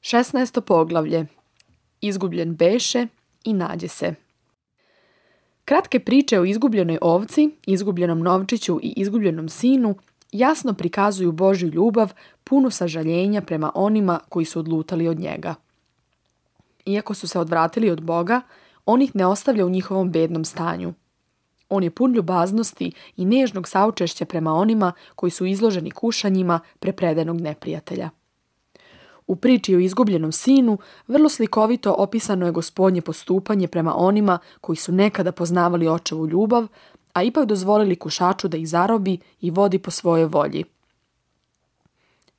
16. poglavlje. Izgubljen beše i nađe se. Kratke priče o izgubljenoj ovci, izgubljenom novčiću i izgubljenom sinu jasno prikazuju Božju ljubav, punu sažaljenja prema onima koji su odlutali od njega. Iako su se odvratili od Boga, on ih ne ostavlja u njihovom bednom stanju. On je pun ljubaznosti i nežnog saučešća prema onima koji su izloženi kušanjima prepredenog neprijatelja. U priči o izgubljenom sinu vrlo slikovito opisano je Gospodnje postupanje prema onima koji su nekada poznavali očevu ljubav, a ipak dozvolili kušaču da ih zarobi i vodi po svojoj volji.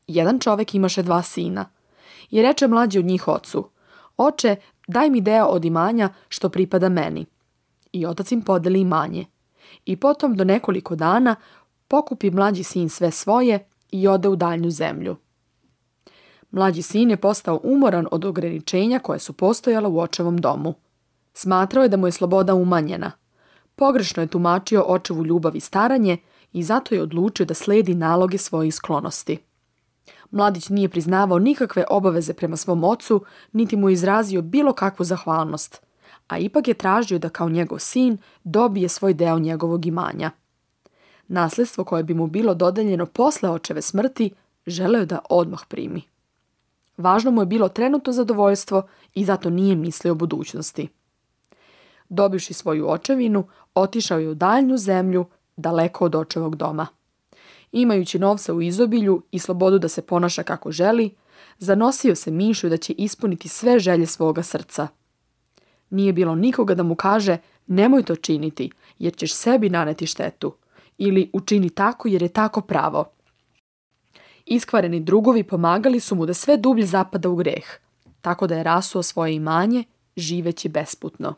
Jedan čovek imaše 2 sina i reče mlađi od njih ocu: Oče, daj mi deo od imanja što pripada meni. I otac im podeli imanje. I potom do nekoliko dana pokupi mlađi sin sve svoje i ode u daljnju zemlju. Mlađi sin je postao umoran od ograničenja koje su postojala u očevom domu. Smatrao je da mu je sloboda umanjena. Pogrešno je tumačio očevu ljubav i staranje i zato je odlučio da sledi naloge svojih sklonosti. Mladić nije priznavao nikakve obaveze prema svom ocu, niti mu je izrazio bilo kakvu zahvalnost, a ipak je tražio da kao njegov sin dobije svoj deo njegovog imanja. Nasledstvo koje bi mu bilo dodeljeno posle očeve smrti želeo je da odmah primi. Važno mu je bilo trenutno zadovoljstvo i zato nije mislio o budućnosti. Dobivši svoju očevinu, otišao je u daljnju zemlju, daleko od očevog doma. Imajući novca u izobilju i slobodu da se ponaša kako želi, zanosio se mišlju da će ispuniti sve želje svoga srca. Nije bilo nikoga da mu kaže: nemoj to činiti, jer ćeš sebi naneti štetu, ili učini tako jer je tako pravo. Iskvareni drugovi pomagali su mu da sve dublje zapada u greh, tako da je rasuo svoje imanje, živeći besputno.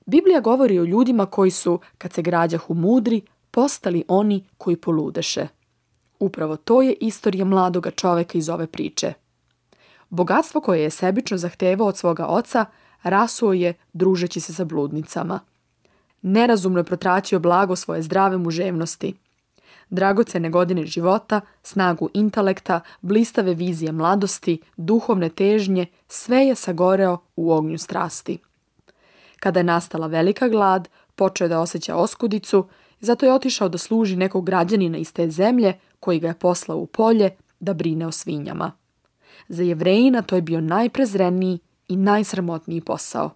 Biblija govori o ljudima koji su, kad se građahu mudri, postali oni koji poludeše. Upravo to je istorija mladoga čoveka iz ove priče. Bogatstvo koje je sebično zahtevao od svoga oca rasuo je družeći se sa bludnicama. Nerazumno je protraćio blago svoje zdrave muževnosti. Dragocene godine života, snagu intelekta, blistave vizije mladosti, duhovne težnje, sve je sagoreo u ognju strasti. Kada je nastala velika glad, počeo je da osjeća oskudicu, zato je otišao da služi nekog građanina iz te zemlje koji ga je poslao u polje da brine o svinjama. Za Jevrejina to je bio najprezreniji i najsramotniji posao.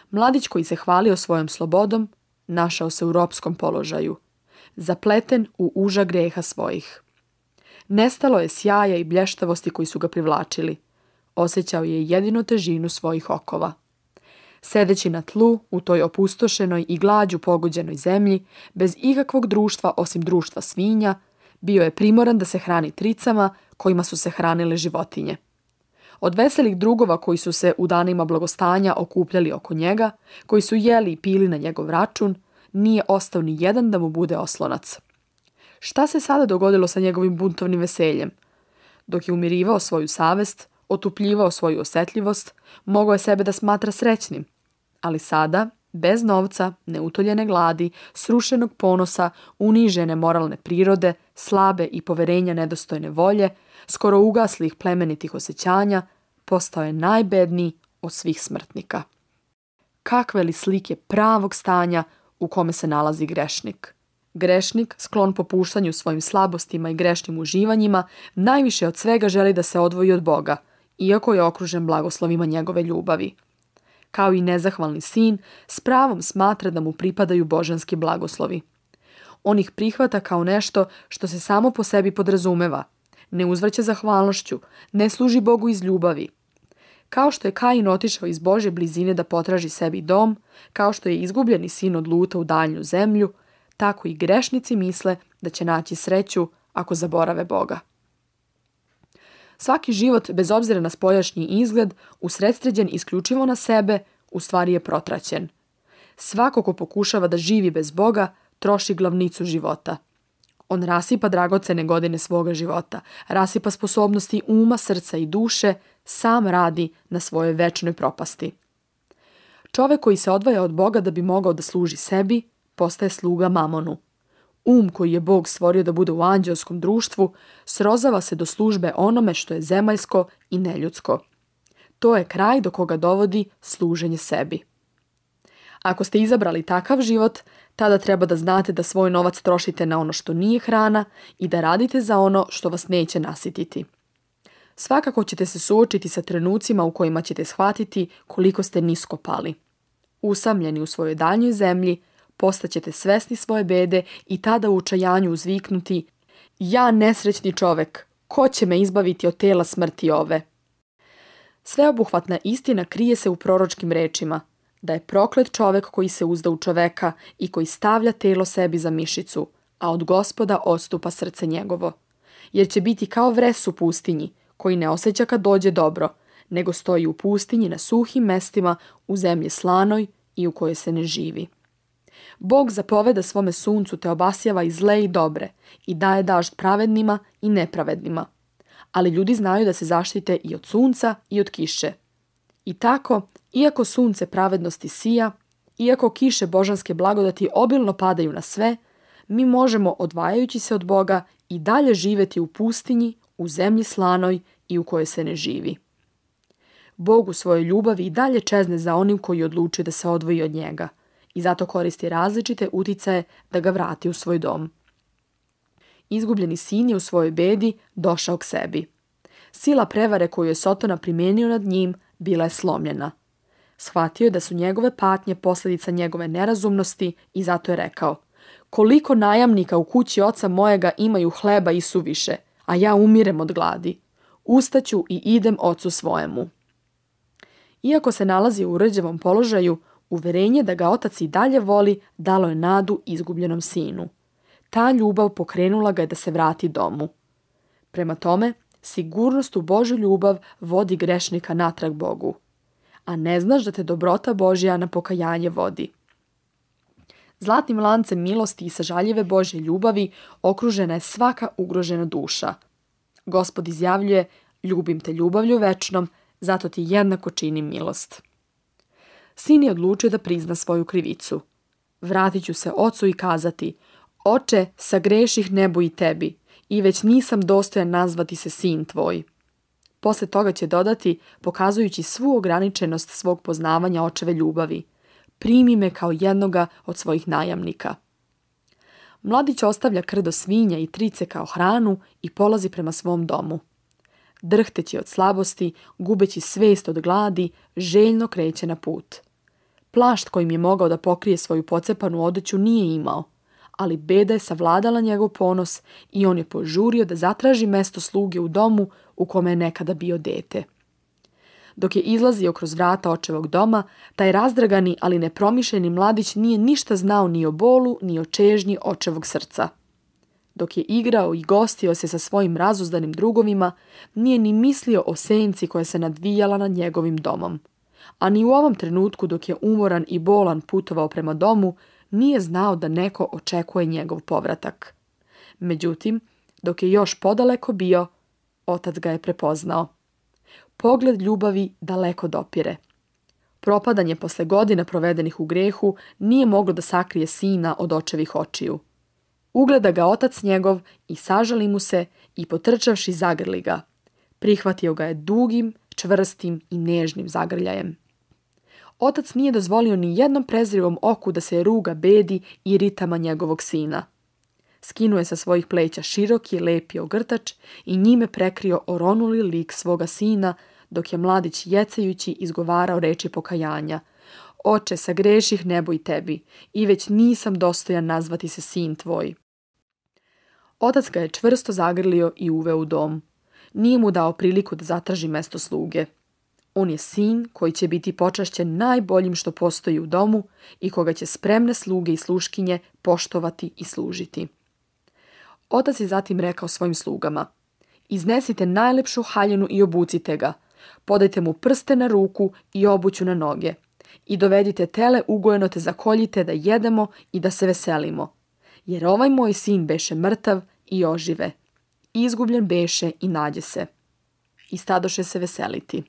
Mladić koji se hvalio svojom slobodom našao se u ropskom položaju, zapleten u uža greha svojih. Nestalo je sjaja i blještavosti koji su ga privlačili. Osjećao je jedino težinu svojih okova. Sedeći na tlu u toj opustošenoj i glađu pogođenoj zemlji, bez ikakvog društva osim društva svinja, bio je primoran da se hrani tricama kojima su se hranile životinje. Od veselih drugova koji su se u danima blagostanja okupljali oko njega, koji su jeli i pili na njegov račun, nije ostao ni jedan da mu bude oslonac. Šta se sada dogodilo sa njegovim buntovnim veseljem? Dok je umirivao svoju savest, otupljivao svoju osjetljivost, mogao je sebe da smatra srećnim. Ali sada, bez novca, neutoljene gladi, srušenog ponosa, unižene moralne prirode, slabe i poverenja nedostojne volje, skoro ugaslih plemenitih osjećanja, postao je najbedniji od svih smrtnika. Kakve li slike pravog stanja u kome se nalazi grešnik? Grešnik, sklon popuštanju svojim slabostima i grešnim uživanjima, najviše od svega želi da se odvoji od Boga, iako je okružen blagoslovima njegove ljubavi. Kao i nezahvalni sin, s pravom smatra da mu pripadaju božanski blagoslovi. On ih prihvata kao nešto što se samo po sebi podrazumeva, ne uzvraća zahvalnošću, ne služi Bogu iz ljubavi. Kao što je Kain otišao iz Božje blizine da potraži sebi dom, kao što je izgubljeni sin odluta u daljnju zemlju, tako i grešnici misle da će naći sreću ako zaborave Boga. Svaki život, bez obzira na spoljašnji izgled, usredsređen isključivo na sebe, u stvari je protraćen. Svako ko pokušava da živi bez Boga, troši glavnicu života. On rasipa dragocene godine svoga života, rasipa sposobnosti uma, srca i duše, sam radi na svojoj večnoj propasti. Čovek koji se odvaja od Boga da bi mogao da služi sebi, postaje sluga mamonu. koji je Bog stvorio da bude u anđelskom društvu, srozava se do službe onome što je zemaljsko i neljudsko. To je kraj do koga dovodi služenje sebi. Ako ste izabrali takav život, tada treba da znate da svoj novac trošite na ono što nije hrana i da radite za ono što vas neće nasititi. Svakako ćete se suočiti sa trenucima u kojima ćete shvatiti koliko ste nisko pali. Usamljeni u svojoj daljnjoj zemlji, postaćete svesni svoje bede i tada u očajanju uzviknuti: ja nesrećni čovek, ko će me izbaviti od tela smrti ove? Sveobuhvatna istina krije se u proročkim rečima, da je proklet čovek koji se uzda u čoveka i koji stavlja telo sebi za mišicu, a od Gospoda odstupa srce njegovo. Jer će biti kao vres u pustinji, koji ne osjeća kad dođe dobro, nego stoji u pustinji na suhim mestima, u zemlji slanoj i u kojoj se ne živi. Bog zapoveda svome suncu te obasjava i zle i dobre i daje dažd pravednima i nepravednima. Ali ljudi znaju da se zaštite i od sunca i od kiše. I tako, iako sunce pravednosti sija, iako kiše božanske blagodati obilno padaju na sve, mi možemo, odvajajući se od Boga, i dalje živjeti u pustinji, u zemlji slanoj i u kojoj se ne živi. Bog u svojoj ljubavi i dalje čezne za onim koji odluči da se odvoji od njega i zato koristi različite uticaje da ga vrati u svoj dom. Izgubljeni sin je u svojoj bedi došao k sebi. Sila prevare koju je Sotona primijenio nad njim bila je slomljena. Shvatio je da su njegove patnje posljedica njegove nerazumnosti i zato je rekao: koliko najamnika u kući oca mojega imaju hleba i suviše, a ja umirem od gladi. Ustaću i idem ocu svojemu. Iako se nalazi u uređevom položaju, uverenje da ga otac i dalje voli dalo je nadu izgubljenom sinu. Ta ljubav pokrenula ga je da se vrati domu. Prema tome, sigurnost u Božju ljubav vodi grešnika natrag Bogu. A ne znaš da te dobrota Božja na pokajanje vodi. Zlatnim lancem milosti i sažaljive Božje ljubavi okružena je svaka ugrožena duša. Gospod izjavljuje: ljubim te ljubavlju večnom, zato ti jednako činim milost. Sin je odlučio da prizna svoju krivicu. Vratit ću se ocu i kazati: oče, sagreših nebu i tebi, i već nisam dostojan nazvati se sin tvoj. Posle toga će dodati, pokazujući svu ograničenost svog poznavanja očeve ljubavi: primi me kao jednoga od svojih najamnika. Mladić ostavlja krdo svinja i trice kao hranu i polazi prema svom domu. Drhteći od slabosti, gubeći svest od gladi, željno kreće na put. Plašt kojim je mogao da pokrije svoju pocepanu odeću nije imao, ali beda je savladala njegov ponos i on je požurio da zatraži mesto sluge u domu u kome je nekada bio dete. Dok je izlazio kroz vrata očevog doma, taj razdragani, ali nepromišljeni mladić nije ništa znao ni o bolu, ni o čežnji očevog srca. Dok je igrao i gostio se sa svojim razuzdanim drugovima, nije ni mislio o senci koja se nadvijala nad njegovim domom. A ni u ovom trenutku, dok je umoran i bolan putovao prema domu, nije znao da neko očekuje njegov povratak. Međutim, dok je još podaleko bio, otac ga je prepoznao. Pogled ljubavi daleko dopire. Propadanje posle godina provedenih u grehu nije moglo da sakrije sina od očevih očiju. Ugleda ga otac njegov i sažali mu se i potrčavši zagrli ga. Prihvatio ga je dugim, čvrstim i nežnim zagrljajem. Otac nije dozvolio ni jednom prezrivom oku da se ruga bedi i ritama njegovog sina. Skinuo je sa svojih pleća široki, lepi ogrtač i njime prekrio oronuli lik svoga sina, dok je mladić jecajući izgovarao reči pokajanja: oče, sagreših nebo i tebi, i već nisam dostojan nazvati se sin tvoj. Otac ga je čvrsto zagrlio i uveo u dom. Nije mu dao priliku da zatraži mesto sluge. On je sin koji će biti počašćen najboljim što postoji u domu i koga će spremne sluge i sluškinje poštovati i služiti. Otac je zatim rekao svojim slugama: iznesite najlepšu haljinu i obucite ga, podajte mu prste na ruku i obuću na noge i dovedite tele ugojeno te zakoljite da jedemo i da se veselimo. Jer ovaj moj sin beše mrtav i ožive, izgubljen beše i nađe se. I stadoše se veseliti.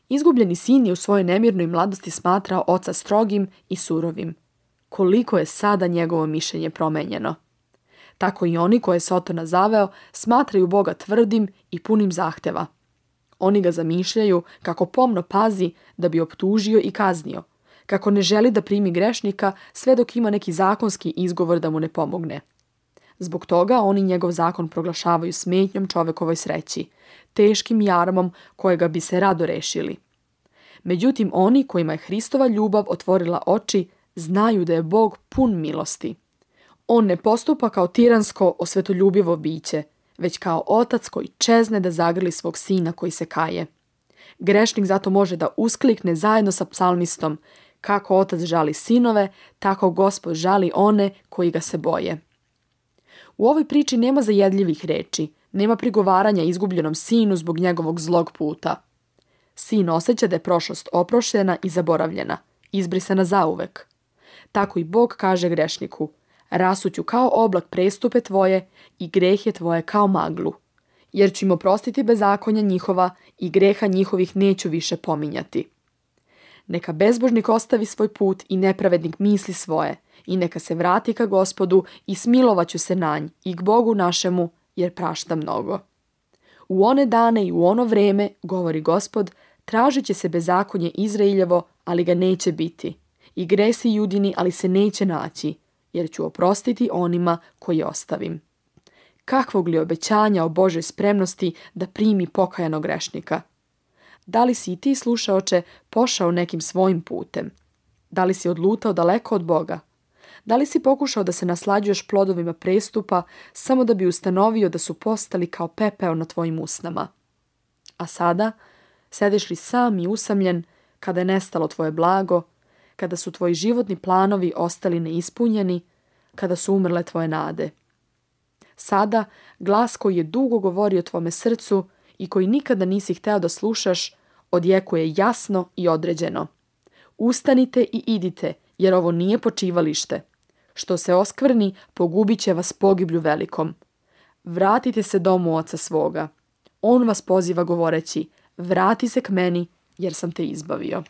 Izgubljeni sin je u svojoj nemirnoj mladosti smatrao oca strogim i surovim. Koliko je sada njegovo mišljenje promenjeno. Tako i oni koje je Sotona zaveo smatraju Boga tvrdim i punim zahteva. Oni ga zamišljaju kako pomno pazi da bi optužio i kaznio, kako ne želi da primi grešnika sve dok ima neki zakonski izgovor da mu ne pomogne. Zbog toga oni njegov zakon proglašavaju smetnjom čovekovoj sreći, teškim jarmom kojega bi se rado rešili. Međutim, oni kojima je Hristova ljubav otvorila oči, znaju da je Bog pun milosti. On ne postupa kao tiransko, osvetoljubivo biće, već kao otac koji čezne da zagrli svog sina koji se kaje. Grešnik zato može da usklikne zajedno sa psalmistom: kako otac žali sinove, tako Gospod žali one koji ga se boje. U ovoj priči nema zajedljivih reči, nema prigovaranja izgubljenom sinu zbog njegovog zlog puta. Sin osjeća da je prošlost oproštena i zaboravljena, izbrisana zauvek. Tako i Bog kaže grešniku: rasuću kao oblak prestupe tvoje i grehe tvoje kao maglu, jer ću im oprostiti bezakonja njihova i greha njihovih neću više pominjati. Neka bezbožnik ostavi svoj put i nepravednik misli svoje, i neka se vrati ka Gospodu i smilovaću se na nj i k Bogu našemu, jer prašta mnogo. U one dane i u ono vreme, govori Gospod, tražit će se bezakonje Izrailjevo, ali ga neće biti, i gresi Judini, ali se neće naći, jer ću oprostiti onima koji ostavim. Kakvog li obećanja o Božoj spremnosti da primi pokajanog grešnika? Da li si i ti, slušaoče, pošao nekim svojim putem? Da li si odlutao daleko od Boga? Da li si pokušao da se naslađuješ plodovima prestupa samo da bi ustanovio da su postali kao pepeo na tvojim usnama? A sada, sediš li sam i usamljen kada je nestalo tvoje blago, kada su tvoji životni planovi ostali neispunjeni, kada su umrle tvoje nade? Sada, glas koji je dugo govorio tvome srcu i koji nikada nisi hteo da slušaš, odjekuje jasno i određeno: ustanite i idite, jer ovo nije počivalište. Što se oskvrni, pogubit će vas pogiblju velikom. Vratite se domu oca svoga. On vas poziva govoreći: vrati se k meni, jer sam te izbavio.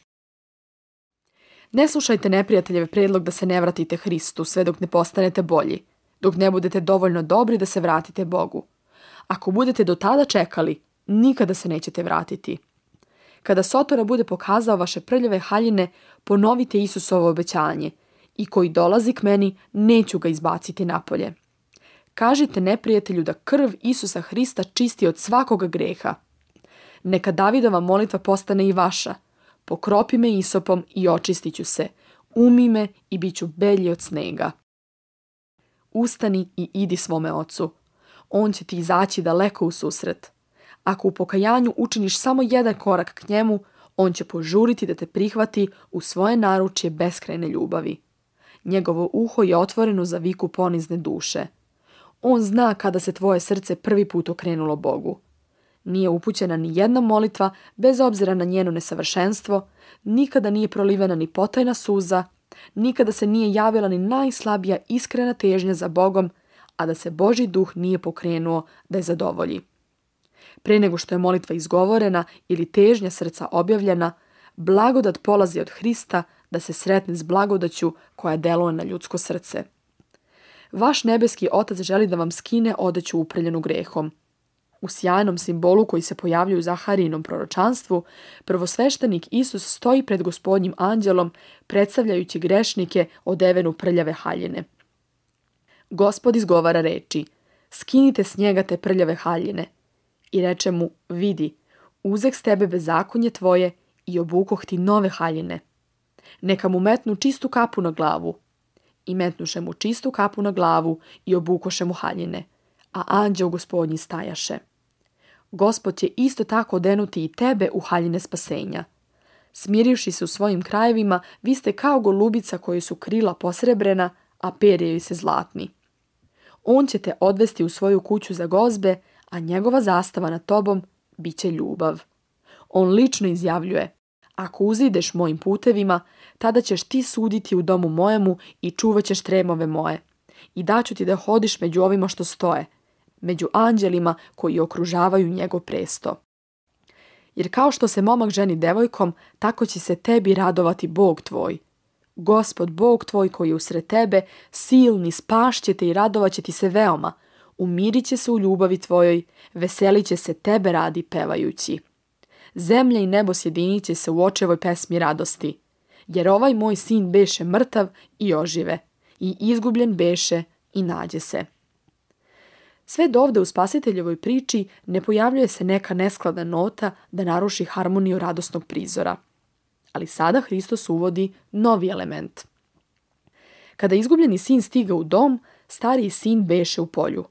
Ne slušajte neprijateljeve predlog da se ne vratite Hristu sve dok ne postanete bolji, dok ne budete dovoljno dobri da se vratite Bogu. Ako budete do tada čekali, nikada se nećete vratiti. Kada Sotona bude pokazao vaše prljave haljine, ponovite Isusovo obećanje: i koji dolazi k meni, neću ga izbaciti napolje. Kažite neprijatelju da krv Isusa Hrista čisti od svakoga greha. Neka Davidova molitva postane i vaša: pokropi me isopom i očistit ću se, umi me i bit ću belji od snega. Ustani i idi svome ocu. On će ti izaći daleko u susret. Ako u pokajanju učiniš samo jedan korak k njemu, on će požuriti da te prihvati u svoje naručje beskrajne ljubavi. Njegovo uho je otvoreno za viku ponizne duše. On zna kada se tvoje srce prvi put okrenulo Bogu. Nije upućena ni jedna molitva, bez obzira na njeno nesavršenstvo, nikada nije prolivena ni potajna suza, nikada se nije javila ni najslabija iskrena težnja za Bogom, a da se Božji duh nije pokrenuo da je zadovolji. Pre nego što je molitva izgovorena ili težnja srca objavljena, blagodat polazi od Hrista da se sretne s blagodaću koja deluje na ljudsko srce. Vaš nebeski Otac želi da vam skine odeću uprljenu grehom. U sjajnom simbolu koji se pojavljuje u Zaharijinom proročanstvu, prvosveštenik Isus stoji pred Gospodnjim anđelom, predstavljajući grešnike odevenu prljave haljine. Gospod izgovara reči: skinite s njega te prljave haljine. I reče mu: vidi, uzeh s tebe bezakonje tvoje i obukoh ti nove haljine. Neka mu metnu čistu kapu na glavu. I metnuše mu čistu kapu na glavu i obukoše mu haljine, a anđeo Gospodnji stajaše. Gospod će isto tako odenuti i tebe u haljine spasenja. Smirivši se u svojim krajevima, vi ste kao golubica koji su krila posrebrena, a perje joj se zlatni. On će te odvesti u svoju kuću za gozbe, a njegova zastava nad tobom bit će ljubav. On lično izjavljuje: ako uzideš mojim putevima, tada ćeš ti suditi u domu mojemu i čuvat ćeš tremove moje. I daću ti da hodiš među ovima što stoje, među anđelima koji okružavaju njegov presto. Jer kao što se momak ženi devojkom, tako će se tebi radovati Bog tvoj. Gospod Bog tvoj koji je usred tebe, silni, spašće te i radovat će ti se veoma. Umirit će se u ljubavi tvojoj, veselit će se tebe radi pevajući. Zemlja i nebo sjedinit će se u očevoj pesmi radosti. Jer ovaj moj sin beše mrtav i ožive, i izgubljen beše i nađe se. Sve dovde u spasiteljevoj priči ne pojavljuje se neka neskladna nota da naruši harmoniju radosnog prizora. Ali sada Hristos uvodi novi element. Kada izgubljeni sin stiga u dom, stariji sin beše u polju.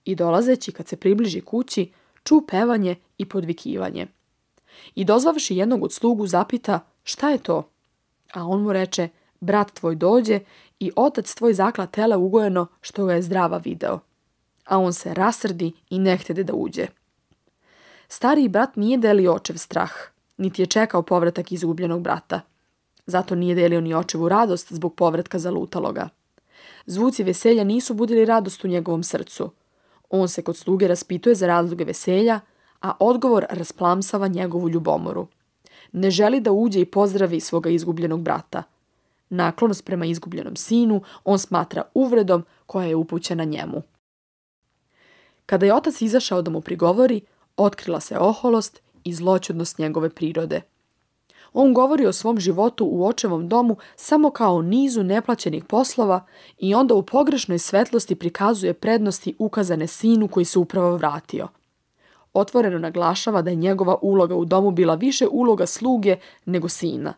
I dolazeći, kad se približi kući, ču pevanje i podvikivanje. I dozvavši jednog od slugu zapita, šta je to? A on mu reče, brat tvoj dođe i otac tvoj zakla tele ugojeno što ga je zdrava video. A on se rasrdi i ne htede da uđe. Stariji brat nije delio očev strah, niti je čekao povratak izgubljenog brata. Zato nije delio ni očevu radost zbog povratka zalutaloga. Zvuci veselja nisu budili radost u njegovom srcu. On se kod sluge raspituje za razloge veselja, a odgovor rasplamsava njegovu ljubomoru. Ne želi da uđe i pozdravi svoga izgubljenog brata. Naklonost prema izgubljenom sinu on smatra uvredom koja je upućena njemu. Kada je otac izašao da mu prigovori, otkrila se oholost i zloćudnost njegove prirode. On govori o svom životu u očevom domu samo kao o nizu neplaćenih poslova i onda u pogrešnoj svetlosti prikazuje prednosti ukazane sinu koji se upravo vratio. Otvoreno naglašava da je njegova uloga u domu bila više uloga sluge nego sina.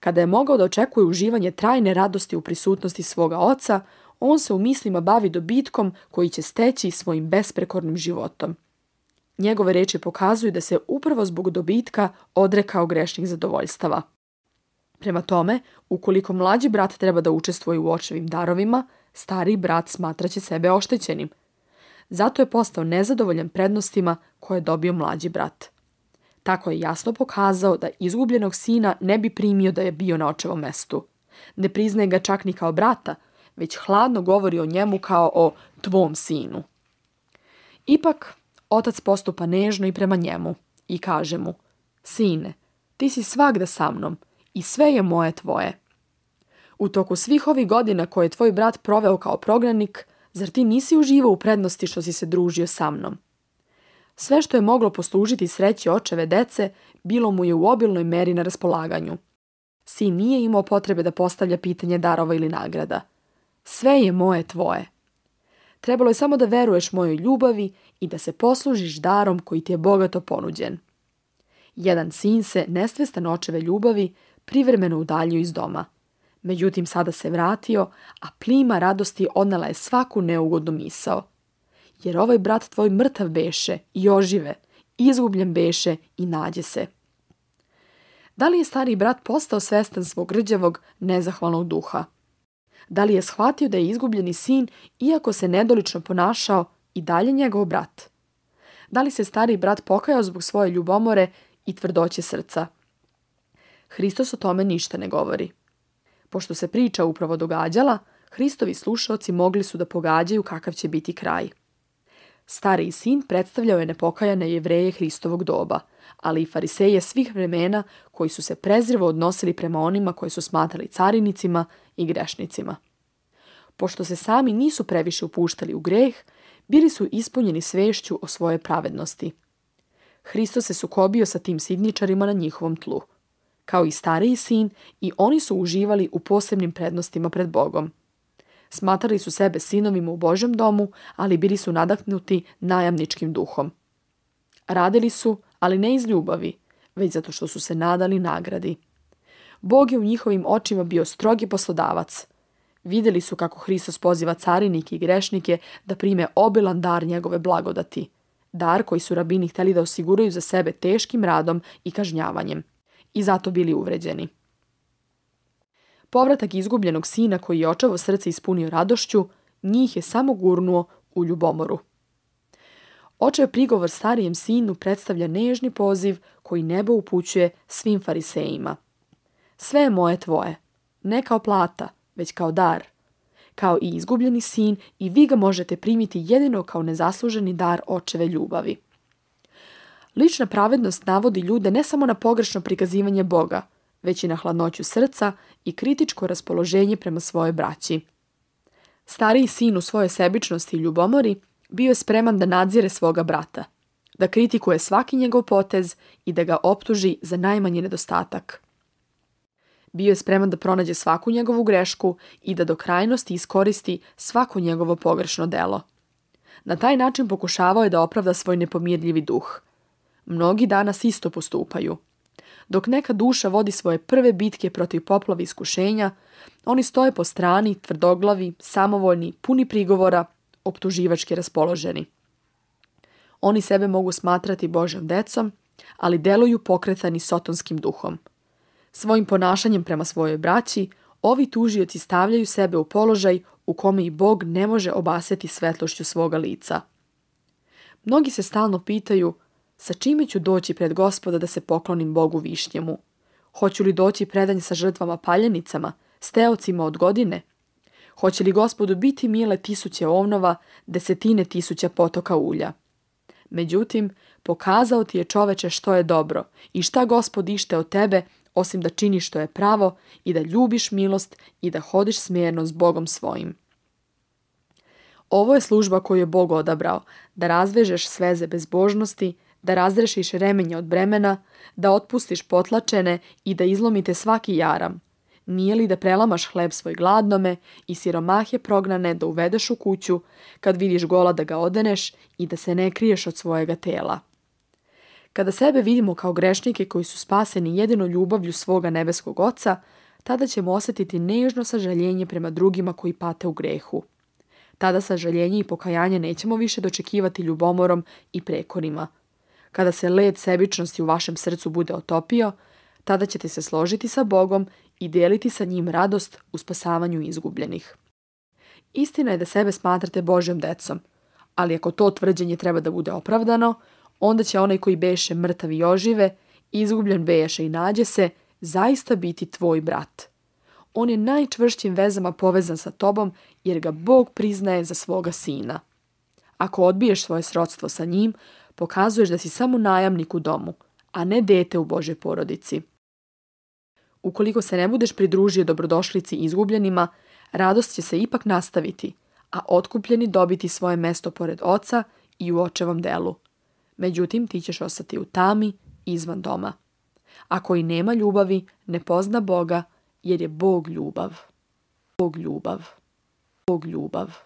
Kada je mogao da očekuje uživanje trajne radosti u prisutnosti svoga oca, on se u mislima bavi dobitkom koji će steći svojim besprekornim životom. Njegove reči pokazuju da se upravo zbog dobitka odrekao grešnih zadovoljstava. Prema tome, ukoliko mlađi brat treba da učestvuje u očevim darovima, stariji brat smatraće sebe oštećenim. Zato je postao nezadovoljan prednostima koje je dobio mlađi brat. Tako je jasno pokazao da izgubljenog sina ne bi primio da je bio na očevom mestu. Ne priznaje ga čak ni kao brata, već hladno govori o njemu kao o tvom sinu. Ipak, otac postupa nežno i prema njemu i kaže mu, sine, ti si svagda sa mnom i sve je moje tvoje. U toku svih ovih godina koje je tvoj brat proveo kao prognanik, zar ti nisi uživao u prednosti što si se družio sa mnom? Sve što je moglo poslužiti sreći očeve dece, bilo mu je u obilnoj meri na raspolaganju. Sin nije imao potrebe da postavlja pitanje darova ili nagrada. Sve je moje tvoje. Trebalo je samo da veruješ mojoj ljubavi i da se poslužiš darom koji ti je bogato ponuđen. Jedan sin se, nesvestan očeve ljubavi, privremeno udaljio iz doma. Međutim, sada se vratio, a plima radosti odnela je svaku neugodnu misao. Jer ovaj brat tvoj mrtav beše i ožive, izgubljen beše i nađe se. Da li je stariji brat postao svestan svog rđavog, nezahvalnog duha? Da li je shvatio da je izgubljeni sin, iako se nedolično ponašao, i dalje njegov brat? Da li se stariji brat pokajao zbog svoje ljubomore i tvrdoće srca? Hristos o tome ništa ne govori. Pošto se priča upravo događala, Hristovi slušaoci mogli su da pogađaju kakav će biti kraj. Stariji sin predstavljao je nepokajane Jevreje Hristovog doba, ali i fariseje svih vremena koji su se prezrivo odnosili prema onima koji su smatrali carinicima i grešnicima. Pošto se sami nisu previše upuštali u greh, bili su ispunjeni svešću o svojoj pravednosti. Hristos se sukobio sa tim sidničarima na njihovom tlu. Kao i stariji sin, i oni su uživali u posebnim prednostima pred Bogom. Smatrali su sebe sinovima u Božjem domu, ali bili su nadahnuti najamničkim duhom. Radili su, ali ne iz ljubavi, već zato što su se nadali nagradi. Bog je u njihovim očima bio strogi poslodavac. Vidjeli su kako Hristos poziva carinike i grešnike da prime obilan dar njegove blagodati. Dar koji su rabini hteli da osiguraju za sebe teškim radom i kažnjavanjem. I zato bili uvređeni. Povratak izgubljenog sina koji je očevo srce ispunio radošću, njih je samo gurnuo u ljubomoru. Očev prigovor starijem sinu predstavlja nežni poziv koji nebo upućuje svim farisejima. Sve je moje tvoje, ne kao plata, već kao dar. Kao i izgubljeni sin, i vi ga možete primiti jedino kao nezasluženi dar očeve ljubavi. Lična pravednost navodi ljude ne samo na pogrešno prikazivanje Boga, već i na hladnoću srca i kritičko raspoloženje prema svojoj braći. Stariji sin u svojoj sebičnosti i ljubomori bio je spreman da nadzire svoga brata, da kritikuje svaki njegov potez i da ga optuži za najmanji nedostatak. Bio je spreman da pronađe svaku njegovu grešku i da do krajnosti iskoristi svako njegovo pogrešno delo. Na taj način pokušavao je da opravda svoj nepomirljivi duh. Mnogi danas isto postupaju. Dok neka duša vodi svoje prve bitke protiv poplave iskušenja, oni stoje po strani, tvrdoglavi, samovoljni, puni prigovora, optuživački raspoloženi. Oni sebe mogu smatrati Božjom decom, ali deluju pokretani sotonskim duhom. Svojim ponašanjem prema svojoj braći, ovi tužioci stavljaju sebe u položaj u kome i Bog ne može obasjati svetlošću svoga lica. Mnogi se stalno pitaju, sa čime ću doći pred Gospoda da se poklonim Bogu višnjemu? Hoću li doći predanj sa žrtvama paljenicama, steocima od godine? Hoće li Gospodu biti mile 1000 ovnova, 10.000 potoka ulja? Međutim, pokazao ti je, čoveče, što je dobro i šta Gospod ište od tebe, osim da činiš što je pravo i da ljubiš milost i da hodiš smjerno s Bogom svojim. Ovo je služba koju je Bog odabrao, da razvežeš sveze bezbožnosti, da razrešiš remenje od bremena, da otpustiš potlačene i da izlomite svaki jaram. Nije li da prelamaš hleb svoj gladnome i siromahe prognane da uvedeš u kuću, kad vidiš gola da ga odeneš i da se ne kriješ od svojega tela? Kada sebe vidimo kao grešnike koji su spaseni jedino ljubavlju svoga nebeskog Oca, tada ćemo osjetiti nežno sažaljenje prema drugima koji pate u grehu. Tada sažaljenje i pokajanje nećemo više dočekivati ljubomorom i prekorima. Kada se led sebičnosti u vašem srcu bude otopio, tada ćete se složiti sa Bogom i dijeliti sa njim radost u spasavanju izgubljenih. Istina je da sebe smatrate Božjom decom, ali ako to tvrđenje treba da bude opravdano, onda će onaj koji beše mrtav i ožive, izgubljen beše i nađe se, zaista biti tvoj brat. On je najčvršćim vezama povezan sa tobom jer ga Bog priznaje za svoga sina. Ako odbiješ svoje srodstvo sa njim, pokazuješ da si samo najamnik u domu, a ne dete u Božoj porodici. Ukoliko se ne budeš pridružio dobrodošlici izgubljenima, radost će se ipak nastaviti, a otkupljeni dobiti svoje mesto pored Oca i u Očevom delu. Međutim, ti ćeš ostati u tami izvan doma. A koji nema ljubavi, ne pozna Boga, jer je Bog ljubav. Bog ljubav. Bog ljubav.